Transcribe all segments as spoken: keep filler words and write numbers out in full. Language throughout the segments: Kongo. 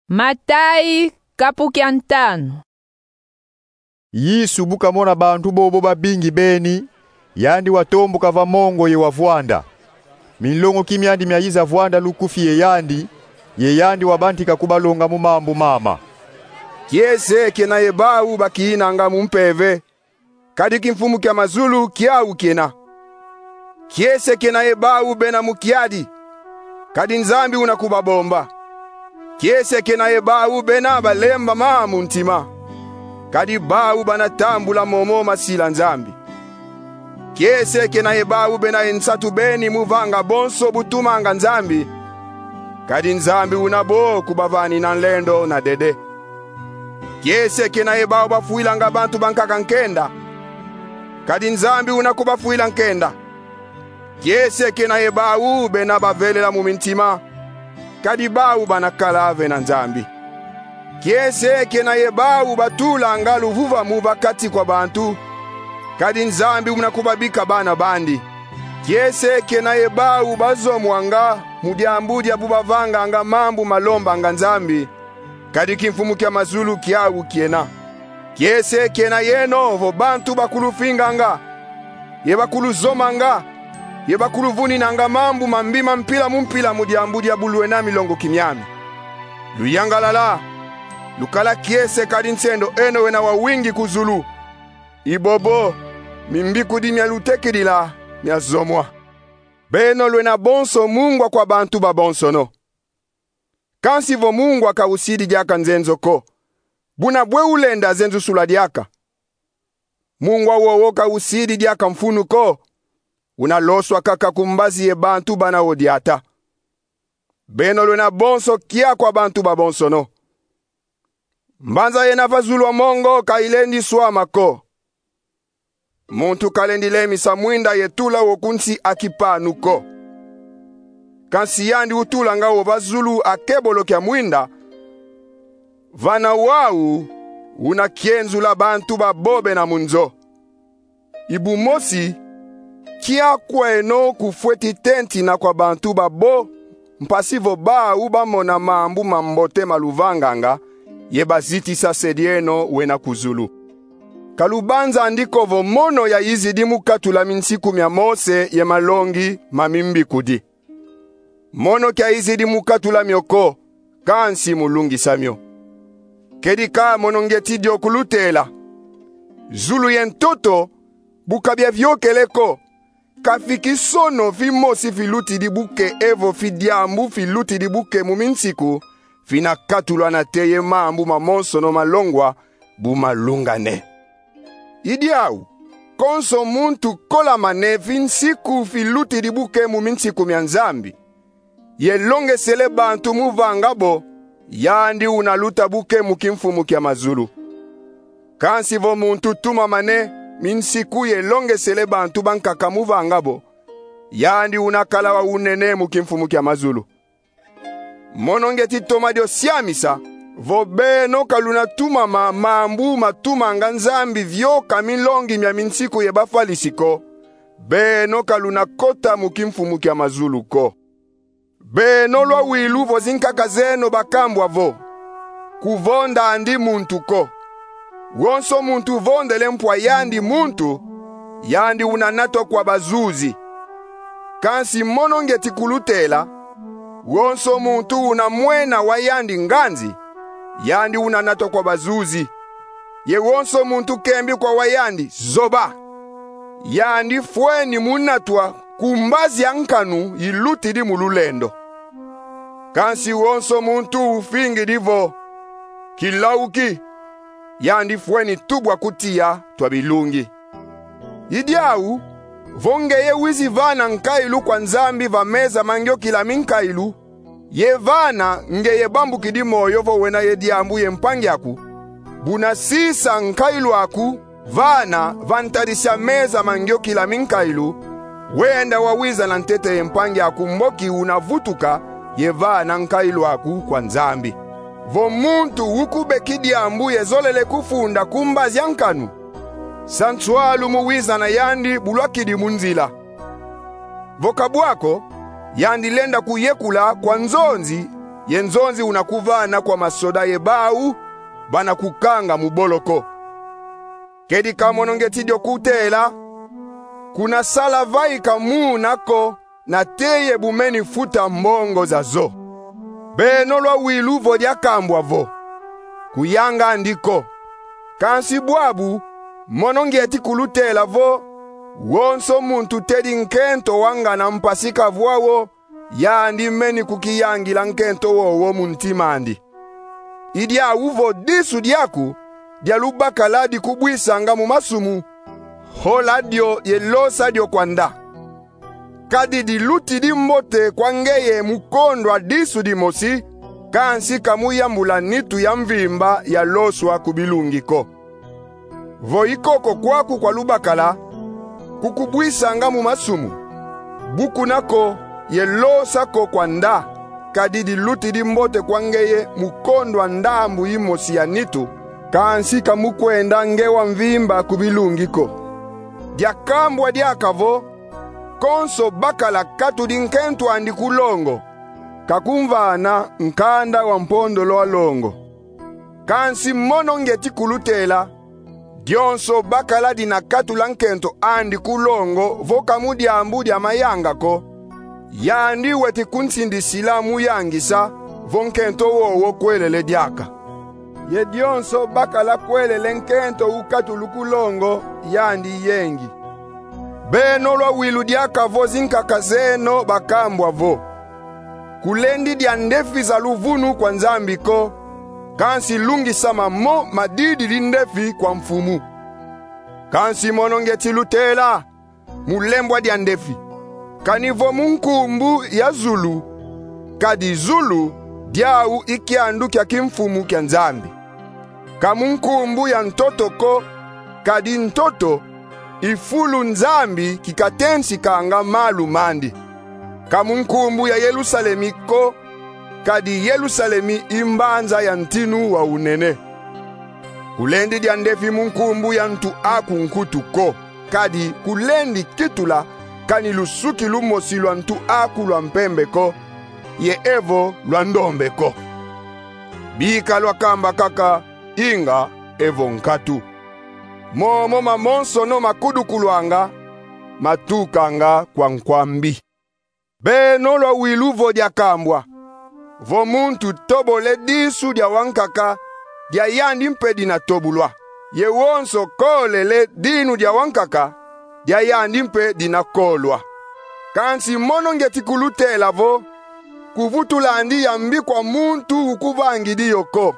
Matayi, kapu kia ntanu. Yesu bu kamona bantu bobo babingi beni, yandi watombuka va mongo ye wavwanda. Minlongoki miandi miayiza vwanda lukufi ye yandi, ye yandi wabantika kubalonga mu mambu mama: Kiese kena ye bawu bakiyinanga mu mpeve, kadi kimfumu kia mazulu kiau kena. Kiese kena ye bawu bena mu kiadi, kadi Nzambi una kubabomba. Kiese kena ye bawu bena balembama mu ntima, kadi bawu bana tambula momo masila Nzambi. Kiese kena ye bawu bena ye nsatu beni mu vanga bonso bu tumanga Nzambi, kadi Nzambi una bo kubavanina nlendo na dede. Kiese kena ye bawu bafwilanga bantu bankaka nkenda, kadi Nzambi una kubafwila nkenda. Kiese kena ye bawu bena bavelela mu mintima, kadi bawu bana kala ve na Nzambi. Kiese kena ye bawu batulanga luvuvamu va kati kwa bantu, kadi Nzambi una kubabika bana bandi. Kiese kena ye bawu bazomwanga mu diambu dia bu bavanganga mambu malombanga Nzambi, kadi kimfumu kia mazulu kiau kena. Kiese kena yeno vo bantu bakulufinganga, ye bakuluzomanga, ye bakuluvuninanga mambu mambi ma mpila mu mpila mu diambu dia bu lwena milongoki miami. Luyangalala, lukala kiese kadi nsendo eno wena wawingi ku zulu. I bobo, mimbikudi mia lutekidila miazomwa. Beno lwena bonso mungwa kwa bantu babonsono. Kansi vo mungwa ka usidi diaka nzenzo ko, buna bwe ulenda zenzusula diaka? Mungwa wowo ka usidi diaka mfunu ko, una loswa kaka ku mbazi ye bantu bana wo diata. Beno lwena bonso kia kwa bantu babonsono. Mbanza yena va zulu a mongo ka ilendi swama ko. Muntu kalendi lemisa mwinda ye tula wo ku nsi a kipanu ko. Kansi yandi utulanga wo va zulu a kebolo kia mwinda, vana wau una kienzula bantu babo bena mu nzo. I bu mosi, kia kweno kufweti tentina kwa bantu babo, mpasi vo bau bamona mambu mambote ma luvanganga, ye bazitisa se dieno wena ku zulu. Ka lubanzandi ko vo mono yayizidi mu katula minsiku mia Mose ye malongi ma mimbikudi. Mono kiayizidi mu katula mio ko, kansi mu lungisa mio. Kedika mono ngieti dio kulutela: zulu ye ntoto, bu ka biaviokele ko, ka fi kisono fimosi filutidi buke evo fi diambu filutidi buke mu minsiku fina katulwa nate ye mambu mamonsono malongwa bu malungane. I diau, konso muntu kolamane fi nsiku filutidi buke mu minsiku mia Nzambi, ye longesele bantu mu vanga bo, yandi una luta buke mu kimfumu kia mazulu. Kansi vo muntu tumamane minsiku ye longesele bantu bankaka mu vanga bo, yandi una kala wa unene mu kimfumu kia mazulu. Mono ngieti toma dio siamisa vo beno ka luna tumama mambu matumanga Nzambi vioka milongi mia minsiku ye bafalisi ko, beno ka luna kota mu kimfumu kia mazulu ko. Beno lwawilu vo zinkaka zeno bakambwa vo: Kuvondandi muntu ko. Wonso muntu uvondele mpwa yandi muntu, yandi una natwa kwa bazuzi. Kansi mono ngieti kulutela: wonso muntu una mwena wa yandi nganzi, yandi una natwa kwa bazuzi. Ye wonso muntu kembi kwa wa yandi zoba, yandi fweni mu natwa ku mbazi a nkanu ilutidi mu lulendo. Kansi wonso muntu ufingidi vo: Kilawuki, yandi fweni tubwa ku tiya twa bilungi. I diau, vo ngeye wizi vana nkailu kwa Nzambi va meza ma ngiokila minkailu, ye vana ngeye bambukidi moyo vo wena ye diambu ye mpangi aku, buna sisa nkailu aku vana va ntadisi a meza ma ngiokila minkailu, wenda wawiza na ntete ye mpangi aku mboki una vutuka ye vana nkailu aku kwa Nzambi. Vo muntu ukubeki diambu ye zolele kufunda ku mbazi a nkanu, sa nswalu mu wiza na yandi bu lwakidi mu nzila. Vo ka bwa ko, yandi lenda kuyekula kwa nzonzi ye nzonzi una kuvana kwa masoda ye bau bana kukanga mu boloko. Kedika mono ngieti dio kutela, kuna sala vaika muna ko, nate ye bumeni futa mbongo zazo. Beno lwawilu vo diakambwa vo: Kuyanga andi ko. Kansi bwabu, mono ngieti kulutela vo: Wonso muntu tedi nkento wa ngana mpasi kavwa wo, yandi meni kukiyangila nkento wowo mu ntima andi. I diau vo disu diaku dia lubakala dikubwisanga mu masumu, hola dio ye losa dio kwa nda. Kadi dilutidi mbote kwa ngeye mu kondwa disu dimosi, kansi ka mu yambula nitu ya mvimba ya loswa ku bilungi ko. Vo i koko kwaku kwa lubakala kukubwisanga mu masumu, bukuna ko ye losa ko kwa nda, kadi dilutidi mbote kwa ngeye mu kondwa ndambu yimosi ya nitu, kansi ka mu kwenda nge wa mvimba ku bilungi ko. Diakambwa diaka vo: Konso bakala katudi nkento andi ku longo, kakumvana nkanda wa mpondolo a longo. Kansi mono ngieti kulutela: Dionso bakala dina katula nkento andi ku longo vo ka mu diambu dia mayanga ko, yandi weti kunsindisila mu yangisa vo nkento wowo kwelele diaka. Ye dionso bakala kwelele nkento ukatulu ku longo, yandi yengi. Beno lwawilu diaka vo zinkaka zeno bakambwa vo: Kulendi dia ndefi za luvunu kwa Nzambi ko, kansi lungisama mo madididi ndefi kwa Mfumu. Kansi mono ngieti lutela: Mu lembwa dia ndefi, kani vo mu nkumbu ya zulu, kadi zulu diau i kiandu kia kimfumu kia Nzambi. Ka mu nkumbu ya ntoto ko, kadi ntoto i fulu Nzambi kikatensikanga malu mandi. Ka mu nkumbu ya Yelusalemi ko, kadi Yelusalemi i mbanza ya ntinu wa unene. Kulendi dia ndefi mu nkumbu ya ntu aku nkutu ko, kadi kulendi kitula kani lusuki lumosi lwa ntu aku lwa mpembe ko, ye evo lwa ndombe ko. Bika lwakamba kaka: Inga, evo nkatu. Momo mamonsono makudukulwanga, matukanga kwa nkwambi. Beno lwawilu vo diakambwa: Vo muntu tobole disu dia wankaka, dia yandi mpe dina tobulwa. Ye wonso kolele dinu dia wankaka, dia yandi mpe dina kolwa. Kansi mono ngieti kulutela vo: Kuvutula andi ya mbi kwa muntu ukuvangidi yo ko.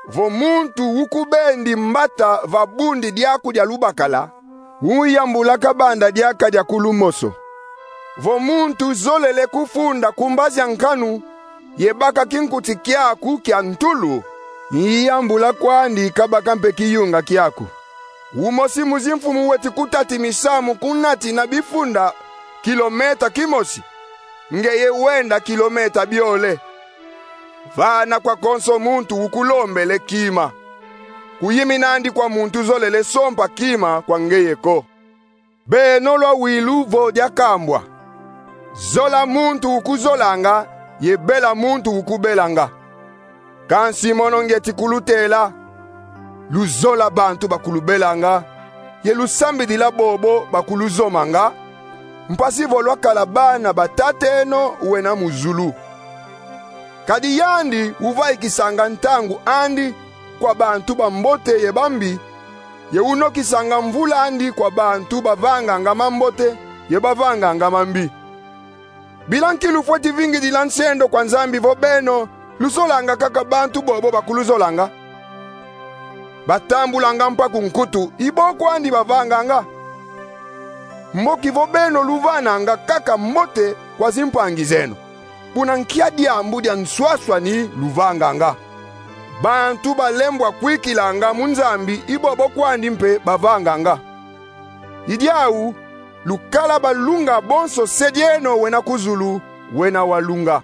Vo muntu ukubendi mbata va bundi diaku dia lubakala, uyambula kabanda diaka dia ku lumoso. Vo muntu zolele kufunda ku mbazi a nkanu ye baka kinkuti kiaku kia ntulu, iyambula kwandi kabaka mpe kiyunga kiaku. Umosi mu zimfumu weti kutati misamu kunatina bifunda kilometa kimosi, ngeye wenda kilometa biole. Vana kwa konso muntu ukulombele kima. Kuyiminandi kwa muntu zolele sompa kima kwa ngeye ko. Beno lwawilu vo diakambwa: Zola muntu ukuzolanga, ye bela muntu ukubelanga. Kansi mono ngieti kulutela: Luzola bantu bakulubelanga, ye lusambidila bobo bakuluzomanga, mpasi vo lwakala bana ba Tateno wena mu zulu. Kadi yandi uvaikisanga ntangu andi kwa bantu bambote ye bambi, ye unokisanga mvula andi kwa bantu bavanganga mambote ye bavanganga mambi. Bila nki lufweti vingidila nsendo kwa Nzambi vo beno luzolanga kaka bantu bobo bakuluzolanga? Batambulanga mpaku nkutu i bo kwandi bavanganga. Mboki vo beno luvananga kaka mbote kwa zimpangi zeno, buna nkia diambu dia nswaswani luvanganga? Bantu balembwa kwikilanga mu Nzambi i bobo kwandi mpe bavanganga. I diau, lukala balunga bonso se dieno wena ku zulu, wena walunga.